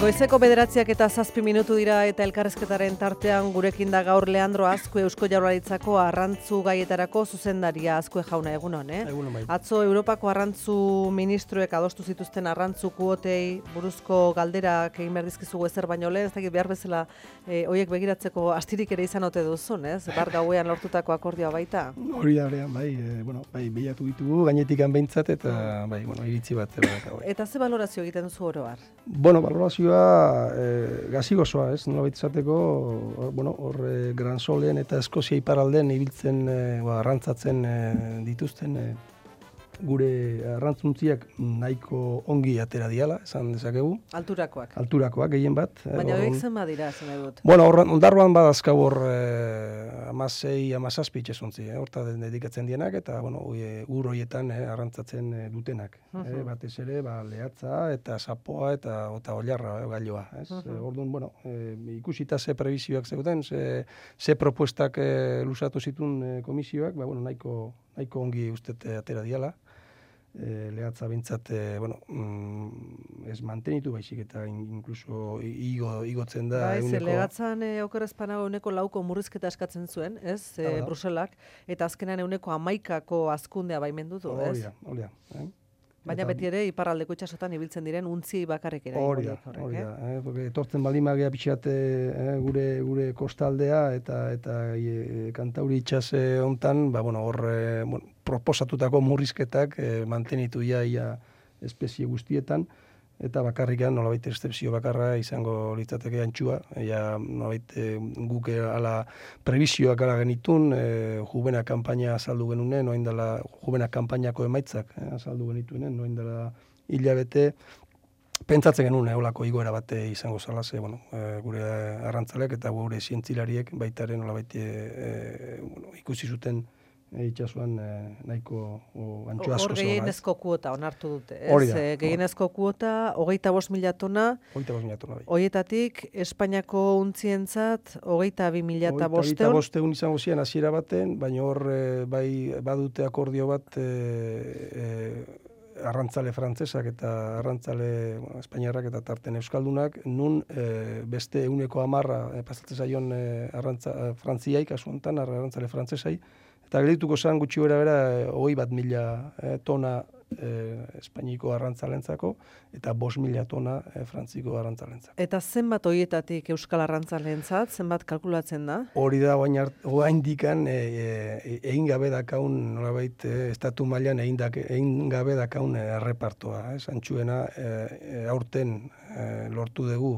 Goizeko 9:07 dira eta elkarrezketaren tartean gurekin da gaur Leandro Azkue Eusko Jaurlaritzako arrantzu gaietarako zuzendaria. Azkue jauna, egunon, Egunon bai. Atzo Europako arrantzu ministroek adostu zituzten arrantzu kuotei buruzko galderak egin behar dizkizugu ezer baino lehen, ez dakit behar bezala horiek begiratzeko astirik ere izan ote duzun, ez? Bar gauean lortutako akordioa baita. Hori da, bai, bilatu ditugu gainetikan behintzat eta iritzi bat. Eta ze valorazio egiten duzu oro har? Valorazioa gazi gozoa, ez? Nola baita izateko, hor Gran Solen eta Eskozia iparralden ibiltzen, arrantzatzen dituzten gure arrantzuntziak nahiko ongi atera diala, esan dezakegu. Alturakoak. Alturakoak gehien bat. Baina horiek zen badira, zen edut. Ondarroan badazkau hor 16-17 itxasuntzi, horta dedikatzen dienak, eta ur horietan arrantzatzen dutenak. Batez ere, lehatza eta sapoa eta oilarra gailoa. Orduan, ikusita ze prebizioak zeuden, ze propuestak lusatu zituen komisioak, nahiko ongi ustet atera diala. Lehatza bintzat, ez mantenitu baizik eta inkluso igotzen da. Lehatzan okerrezpanago 4% murrizketa eskatzen zuen, ez, Bruselak, eta azkenean 11% hazkundea baimendu du, ez? Hori da. Baina beti ere iparraldeko itsasotan ibiltzen diren untzi bakarrik ere. Hori da. Etortzen balimagea pixat gure kostaldea eta Kantauri itsase hontan, hor proposatutako murrizketak mantenitu ia espezie guztietan, eta bakarrikan nolabait excepzio bakarra izango litzateke antxua, nolabait guk ala prebizioak ala genitun, jubena kanpaina azaldu genunen, oindala jubena kanpainako emaitzak azaldu genituenen, oindala hilabete, pentsatzen genuen eolako igoera bate izango zala, gure arrantzaleak eta gure zientzilariek baitaren nolabait ikusi zuten itxasuan nahiko antxo asko hor gehienezko kuota onartu dute, ez? Hori da. Gehienezko kuota 25.000 tona. 25.000 tona, bai. Horietatik Espainiako untzientzat 22.500. 25.000 izango ziren hasiera baten, baina hor badute akordio bat arrantzale frantzesak eta arrantzale espainiarrak eta tarten euskaldunak, nun beste 110 pasatzen zaion frantziaik, kasu honetan arrantzale frantzesai, eta geldituko zen gutxi bera 21.000 tona Espainiko arrantzalentzako eta 5.000 tona frantziko arrantzalentzako. Eta zenbat horietatik euskal arrantzalentzat, zenbat kalkulatzen da? Hori da, oain dikan egin gabe dakaun, nolabait, estatu mailan egin gabe dakaun errepartoa. Antxuena, aurten lortu dugu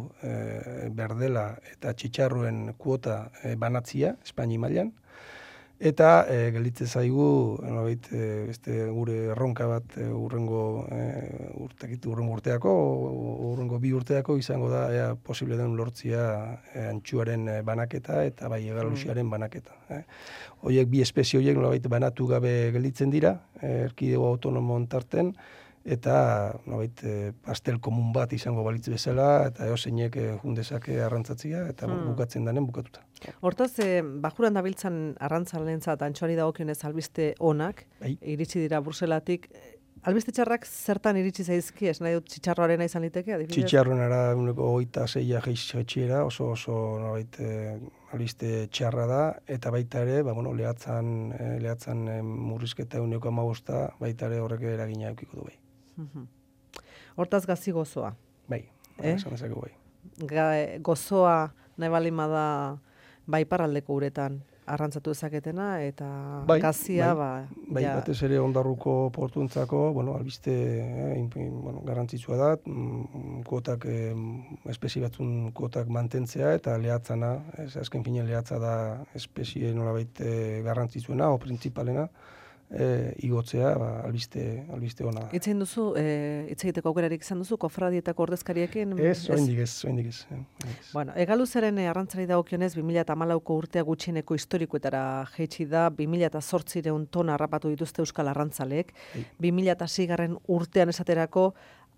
berdela eta txitxarruen kuota banatzia, Espaini mailan. Eta gelditzen zaigu gure erronka bat urrengo urteako, urrengo 2 urteako izango da posible den lortzia antxuaren banaketa eta bai egalusiaren banaketa. Horiek bi espezie horiek nolabait banatu gabe gelditzen dira, erkidego autonomon tarten, eta pastel komun bat izango balitz bezala, eta eozeinek jundezake arrantzatzia, eta bukatzen danen bukatuta. Hortaz, bajuran dabiltzan arrantzalentzat antxoari dagokionez albiste onak, iritsi dira Bruselatik. Albiste txarrak zertan iritsi zaizki, ez nahi dut txitxarroarena izan liteke, adibidez? Txitxarroenara 26 jaitsera, oso albiste txarra da, eta baita ere, lehatzan murrizketa 1,5 baita ere horrek eragina eukiko du bai. Hortaz gazi gozoa. Bai, esan dezakegu bai. Gozoa nahi balima da iparraldeko uretan arrantzatu ezaketena, eta gazia, Bai, batez ere Ondarruko portuentzako, albiste garrantzitsua da, kuotak, espezie batzun kuotak mantentzea, eta lehatzana, azken finen lehatza da espezie nolabait garrantzitsuena, o printzipalena, igotzea, albiste ona. Hitz egiteko aukerarik izan duzu, kofradietako ordezkariekin? Ez, oraindik ez. Egaluzaren arrantzari dagokionez 2014ko urtea gutxieneko historikoetara jaitsi da, 2008 tona harrapatu dituzte euskal arrantzaleek, 2006 urtean esaterako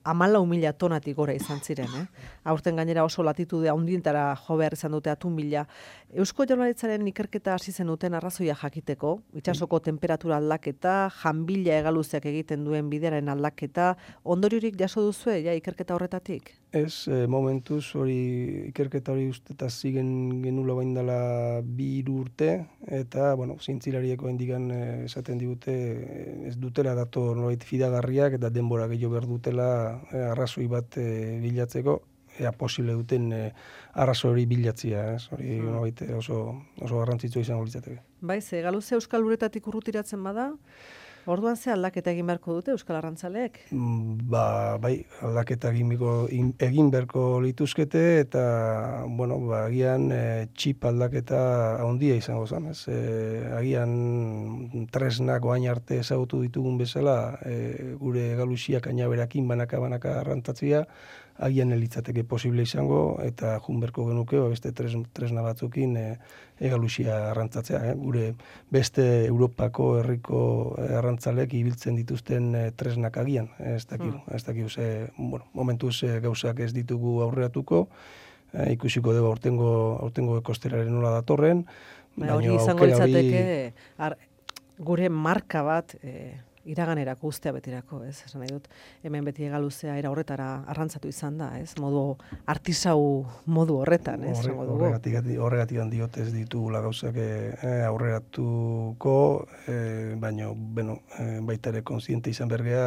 14.000 tonatik gora izan ziren. Aurten gainera oso latitude handientara jo behar izan dute 1.000. Eusko Jaurlaritzaren ikerketa hasi zen duten arrazoia jakiteko, itsasoko temperatura aldaketa, janbila hegaluzeak egiten duen bidearen aldaketa, ondoriorik jaso duzue ja ikerketa horretatik? Ez, momentuz hori ikerketa hori usteta zigen genula bain dela 2 urte, eta, zientzilarieko indigan esaten digute ez dutela dato nolabait fidagarriak eta denbora gehiago behar dutela arrazoi bat bilatzeko, ea posible duten arrazoi hori bilatzia, ez? Hori nolabait oso garrantzitsua izango litzateke. Bai, ze galuze Euskal Uretatik urrutiratzen bada, orduan ze aldaketa egin beharko dute Euskal Arrantzaleek? Bai, aldaketa egin beharko lituzkete eta, agian txip aldaketa handia izango zen, ez? Agian tresnak oain arte ezagutu ditugun bezala, gure galuziak ainaberakin banaka arrantzatzea, agian elitzateke posible izango, eta junberko genuke, beste tresna batzukin egaluzia arrantzatzea. Gure beste Europako herriko arrantzalek ibiltzen dituzten tresnak agian. Ez dakigu ze, momentuz gauzak ez ditugu aurreratuko, ikusiko dugu aurtengo ekosteraren nola datorren. Hori izango litzateke gure marka bat iraganerako ustea betirako, ez? Esan nahi dut, hemen beti hegaluzea era horretara arrantzatu izan da, ez? Modu artisau modu horretan, ez? Horregatik diot ez ditugula gauzak aurreratuko, baina, baita ere kontziente izan bergea,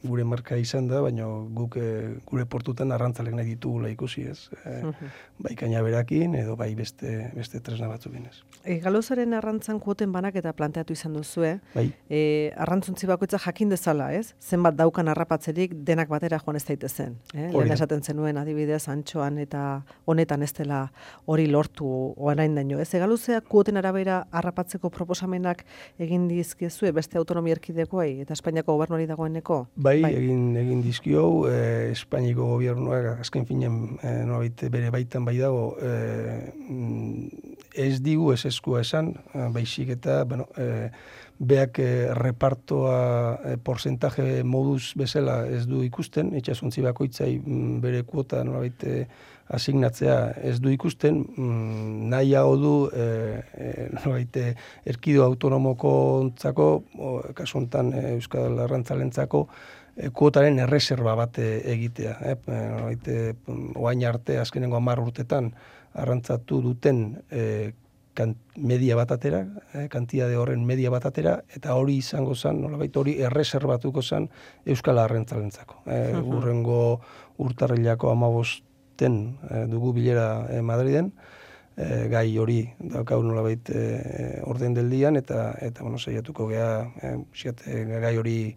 gure marka izan da, baina guk gure portutan arrantzalek nahi ditugula ikusi, ez? Bai kainaberakin edo bai beste tresna batzukin, ez? Galuzaren arrantzan kuoten banaketa planteatu izan duzue, bai. Arrantzuntzi bakoitza jakin dezala, ez? Zenbat daukan harrapatzerik denak batera joan ez daitezen. Lehen esaten zenuen adibidez antxoan eta honetan ez dela hori lortu orain daino. Ez galuzeak kuoten arabera harrapatzeko proposamenak egin dizkizue beste autonomia erkidegoei eta Espainiako gobernuari dagoeneko? Bai, egin dizkio, Espainiako gobernuak azken finen bere baitan bai dago, ez digu ez eskua esan, baizik eta, beak repartoa porcentaje moduz bezala ez du ikusten, itxasuntzi bakoitzai bere kuota nolabait asignatzea ez du ikusten, nahiago du nolabait erkido autonomokontzako, kasu honetan Euskal Arrantzalentzako, kuotaren erreserba bat egitea. Oain arte, azkenengo 10 urtetan, arrantzatu duten media bat atera, kantitate horren media bat atera, eta hori izango zen, nolabait hori erreserbatuko zen Euskal Arrantzalentzako. Urrengo urtarrilako 15 dugu bilera Madriden, gai hori daukau nolabait orden deldian, eta saiatuko gea gai hori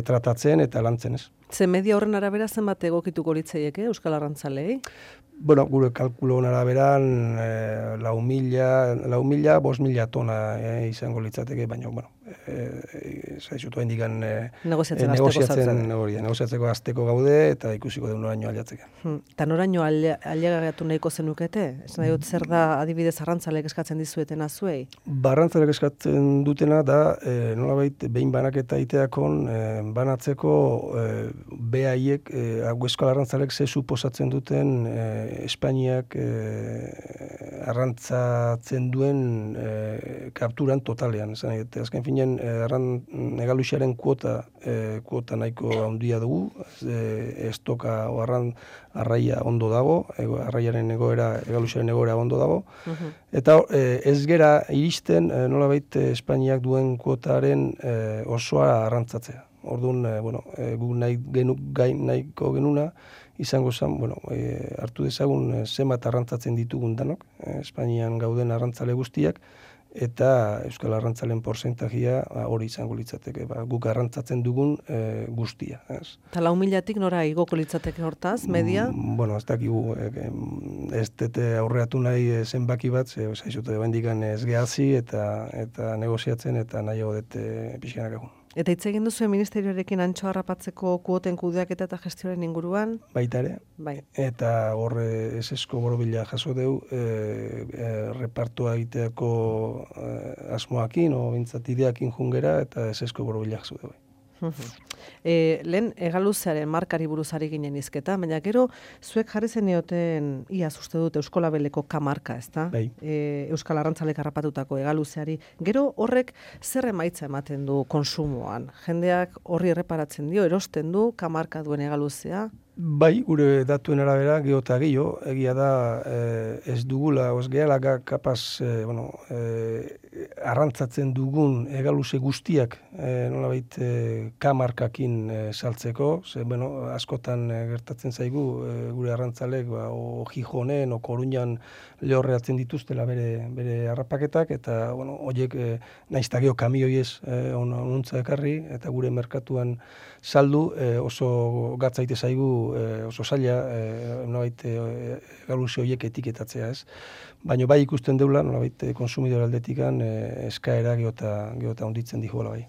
tratatzen eta lantzen, ez. Ze media horren arabera zenbat egokituko litzaieke Euskal Arrantzalei? Gure kalkuloen araberan 4.000, 5.000 tona izango litzateke, baina, zaizutu indikan negoziatzeko azteko gaude eta ikusiko du noraino aliatzeke. Eta noraino aliagatu nahiko zenukete? Esan nahi dut zer da adibidez arrantzalek eskatzen dizuetena zuei? Arrantzalek eskatzen dutena da, nolabait, behin banaketa iteakon, banatzeko behaiek, Euskal Arrantzalek ze suposatzen duten Espainiak arrantzatzen duen kapturan totalean. Azken finen, egaluxiaren kuota nahiko handia dugu, estoka o arraia ondo dago, arraiaren egaluxiaren egoera ondo dago, eta ez gera iristen nolabait Espainiak duen kuotaren osoa arrantzatzea. Orduan, guk nahiko genuna, izango zen, hartu dezagun zenbat arrantzatzen ditugun danok, Espainian gauden arrantzale guztiak, eta Euskal Arrantzalen porzentajia hori izango litzateke, guk arrantzatzen dugun guztia. Eta 4.000-tik nora igoko litzateke hortaz, media? Ez dakigu, ez dute aurreatu nahi zenbaki bat, zaizute bendikan ez gehazi eta negoziatzen eta nahiago dute pixkanak egun. Eta hitz egin duzu ministerioarekin antxo harrapatzeko kuoten kudeaketa eta gestioaren inguruan? Baita ere. Bai. Eta horre esesko borobila jaso deu, repartua egiteako asmoakin, o bintzat ideakin jungera, eta esesko borobila jaso deu. Lehen egaluzearen markari buruz ari ginen izketa, baina gero zuek jarri zenioten iaz uste dut Euskolabeleko K-marka, ezta? Bai. Euskal Arrantzalek harrapatutako egaluzeari. Gero horrek zer emaitza ematen du konsumoan? Jendeak horri erreparatzen dio, erosten du K-marka duen egaluzea? Bai, gure datuen arabera, geho eta gehiago, egia da ez dugula, ez gehala kapaz, arrantzatzen dugun egaluze guztiak nolabait K-markakin saltzeko, ze, askotan gertatzen zaigu gure arrantzalek, o Gijonen, o Koruñan lehorreatzen dituztela bere harrapaketak, eta, horiek naizta geho kamioi ez onuntza ekarri, eta gure merkatuan saldu oso gatzaite zaigu oso zaila nolabait egaluze horiek etiketatzea, ez? Baina bai ikusten deula, nolabait konsumidore aldetikan eskaera geota onditzen dihola bai.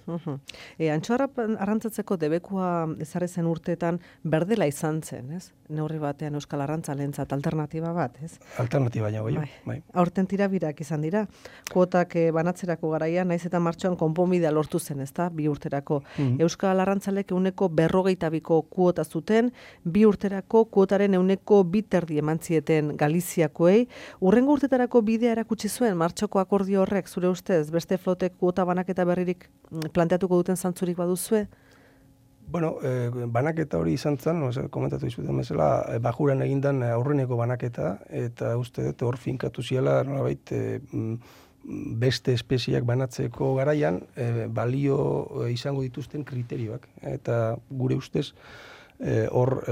Antxo arrantzatzeko debekua ezarri zen urteetan berdela izan zen, ez? Neurri batean Euskal Arrantzalentzat alternatiba bat, ez? Alternatiba baina bai. Aurten tirabirak izan dira. Kuotak banatzerako garaian, naiz eta martxoan konponbidea lortu zen, ezta? 2 urterako. Euskal Arrantzalek 152ko kuota zuten, 2 urterako kuotaren 102 eman zieten Galiziakoei. Hurrengo urtetarako bidea erakutsi zuen martxoko akordio horrek, zure ustez, beste flotek kuota banaketa berririk planteatuko duten zantzurik baduzue? Banaketa hori izan zen, komentatu izuten bezala, bajuran egindan aurreneko banaketa, eta uste dut hor finkatu ziela, nolabait, beste espeziak banatzeko garaian, balio izango dituzten kriterioak. Eta gure ustez, hor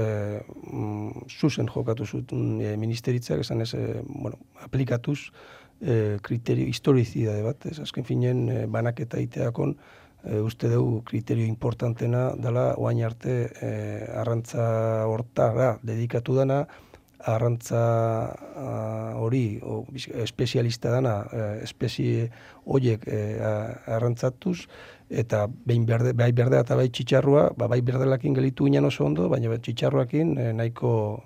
zuzen jokatu zuten ministeritzak, esan ez, aplikatuz kriterio historizidade bat, ez azken finen banaketa iteakon, uste dugu kriterio importantena dela oain arte arrantza hortara dedikatu dana, arrantza hori espezialista dana, espezie horiek arrantzatuz, eta bai berdea eta bai txitxarrua, bai berdelakin gelitu ginen oso ondo, baina txitxarruakin nahiko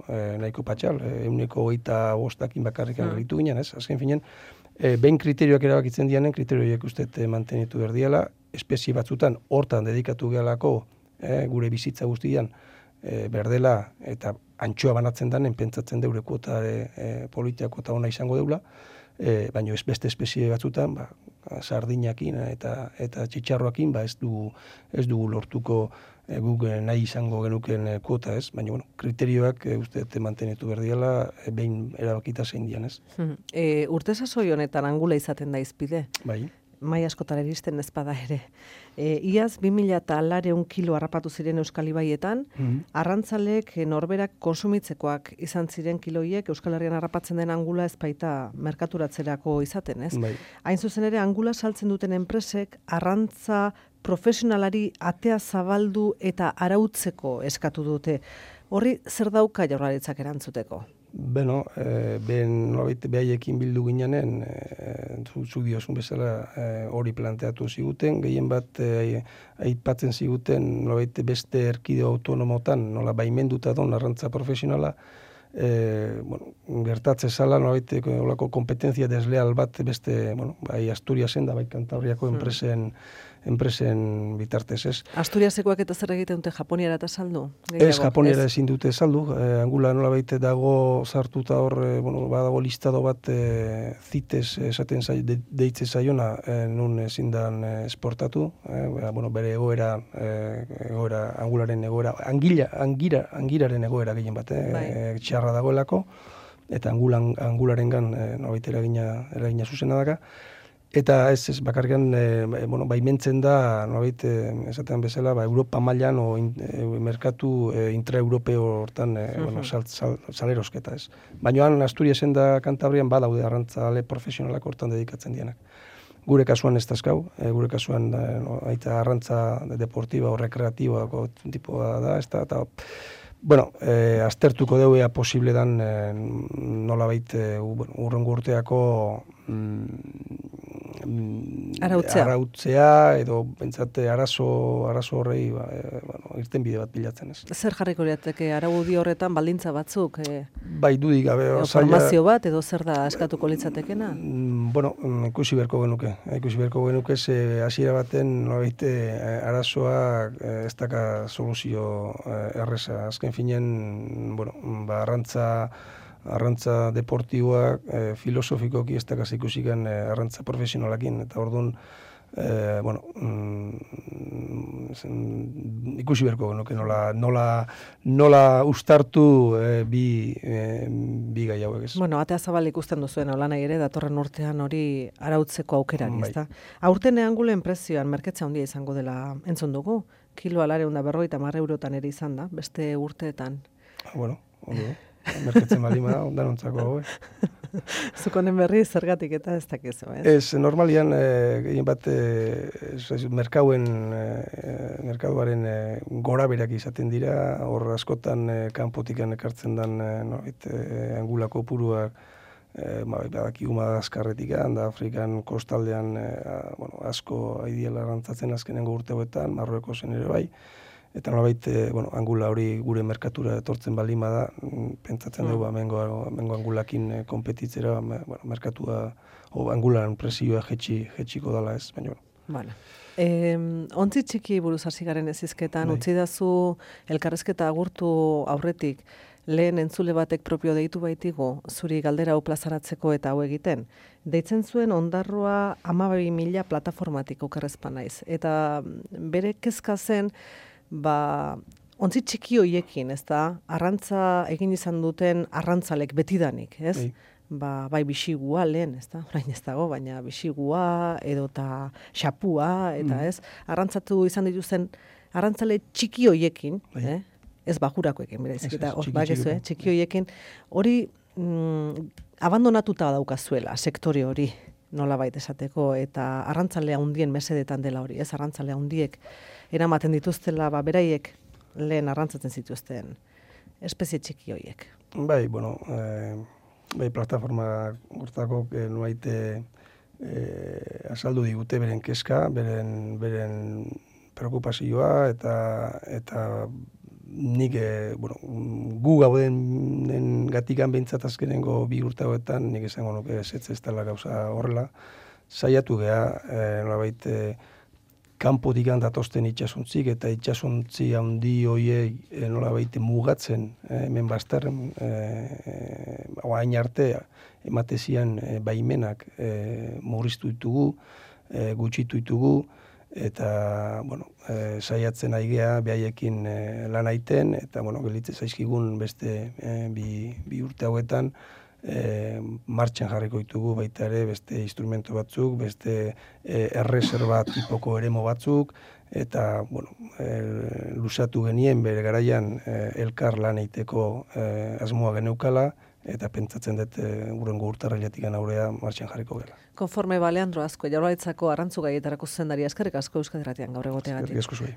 patxal, 125 bakarrikan gelitu ginen, ez? Azken finen, behin kriterioak erabakitzen dianen, kriterioak uste mantenitu berdiela, espezie batzutan hortan dedikatu gehalako gure bizitza guztian berdela eta antxoa banatzen danen pentsatzen deure kuota politia kuota ona izango deula, baina ez beste espezie batzutan, sardinakin eta txitxarroakin ez dugu lortuko guk nahi izango genuken kuota, ez? Baina, kriterioak uste mantenitu berdiala behin erabakita zein dian, ez? Urte sasoi honetan angula izaten da izpide? Bai. Mai askotara iristen ezpada ere. Iaz 2000 kilo harrapatu ziren Euskal Ibaietan, arrantzalek norberak konsumitzekoak izan ziren kiloiek Euskal Herrian harrapatzen den angula ezpaita merkaturatzerako izaten, ez? Bai. Hain zuzen ere angula saltzen duten enpresek arrantza profesionalari atea zabaldu eta arautzeko eskatu dute. Horri zer dauka Jaurlaritzak erantzuteko? Behaiekin bildu ginanen, zu diozun bezala hori planteatu ziguten, gehien bat aipatzen ziguten beste erkideo autonomotan, nola baimenduta don arrantza profesionala, gertatze zala, olako kompetentzia desleal bat beste, bai Asturiasen da, bai Kantabriako enpresen bitartez, ez? Asturiasekoak eta zer egiten dute Japoniara eta saldu? Ez, Japoniara ezin dute saldu. Angula nola baite dago sartuta hor, badago listado bat CITES esaten deitze zaiona, nun ezin dan esportatu, bere egoera, angularen egoera, angiraren egoera gehien bat, txarra dagoelako, eta angularengan nolabait eragina zuzena daka. Eta ez bakarrikan baimentzen da, nolabait esaten bezala, Europa mailan o merkatu intraeuropeo hortan salerosketa, ez. Baina Asturiasen da Kantabrian badaude arrantzale profesionalak hortan dedikatzen dienak. Gure kasuan ez dazkau, gure kasuan aita arrantza deportiba o rekreatiba tipoa da, ez da, eta aztertuko dugu ea posible dan nolabait urrengo urteako arautzea edo bentsate arazo horrei irten bide bat bilatzen ez. Zer jarriko lirateke araudi horretan baldintza batzuk? Bai, dudik gabe. Formazio bat edo zer da eskatuko litzatekena? Bueno, ikusi beharko genuke, ze hasiera baten nolabait arazoa ez daka soluzio erreza. Azken finean, arrantza deportiboak filosofikoki ez dakaz ikusikan arrantza profesionalakin, eta orduan ikusi beharko genuke nola ustartu bi gai hauek ez. Bueno, atea zabal ikusten duzuen holan ere datorren urtean hori arautzeko aukerari, ezta? Aurten eangulen prezioan merketza handia izango dela entzun dugu. Kiloa 150 eurotan ere izan da, beste urteetan. Bueno, merketzen balima da, ondanontzako hau. Zuk honen berri zergatik eta ez dakizu, ez? Ez, normalian, gehien bat, merkaduaren gora berak izaten dira, hor askotan kanpotikan ekartzen dan angulako puruak, badakigu Madagaskarretik, da Afrikan kostaldean asko aidiela arrantzatzen azkenengo urte hauetan, Marruekosen ere bai, eta nolabait, angula hori gure merkatura etortzen balima da, pentsatzen dugu mengo angulakin konpetitzera, merkatua, angularen presioa jetxiko dala ez, baina. Bueno. Ontzi txiki buruz hasi garen ezizketan, utzi dazu elkarrezketa agurtu aurretik, lehen entzule batek propio deitu baitigu, zuri galdera hau plazaratzeko eta hau egiten. Deitzen zuen ondarroa 12.000 plataformatik okerrezpan naiz. Eta bere kezka zen, ontzi txiki hoiekin, ez da, arrantza egin izan duten arrantzalek betidanik, ez? Bai bisigua lehen, ez da, orain ez dago, baina bisigua edota xapua, eta ez, arrantzatu izan dituzten arrantzale txiki hoiekin, ez bajurakoekin, berezik, eta txiki hoiekin, hori abandonatuta daukazuela, sektore hori, nolabait esateko, eta arrantzale handien mesedetan dela hori, ez, arrantzale handiek eramaten dituztela, beraiek lehen arrantzatzen zituzten espezie txiki horiek. Bai, plataforma hortako nuait azaldu digute beren kezka, beren preokupazioa, eta nik, gu gauden gatikan behintzat azkenengo 2 urte hauetan, nik esango nuke ez dela gauza horrela, saiatu geha, nolabait, kanpotik datosten itxasuntzik eta itxasuntzi handi hoiei nolabait mugatzen hemen bazterren hain arte ematezian baimenak murriztu ditugu, gutxitu ditugu, eta saiatzen aigea behaiekin lan aiten, eta gelitze zaizkigun beste bi urte hauetan martxan jarriko ditugu baita ere beste instrumento batzuk, beste erreserba tipoko eremo batzuk, eta luzatu genien bere garaian elkar lan eiteko asmoa geneukala, eta pentsatzen dut urrengo urtarriletik aurrea martxan jarriko gela. Konforme Leandro Azkue, Jaurlaritzako arrantzu gaietarako zuzendaria, eskerrik asko Euskadi Irratian gaur egoteagatik. Eskerrik asko zuei.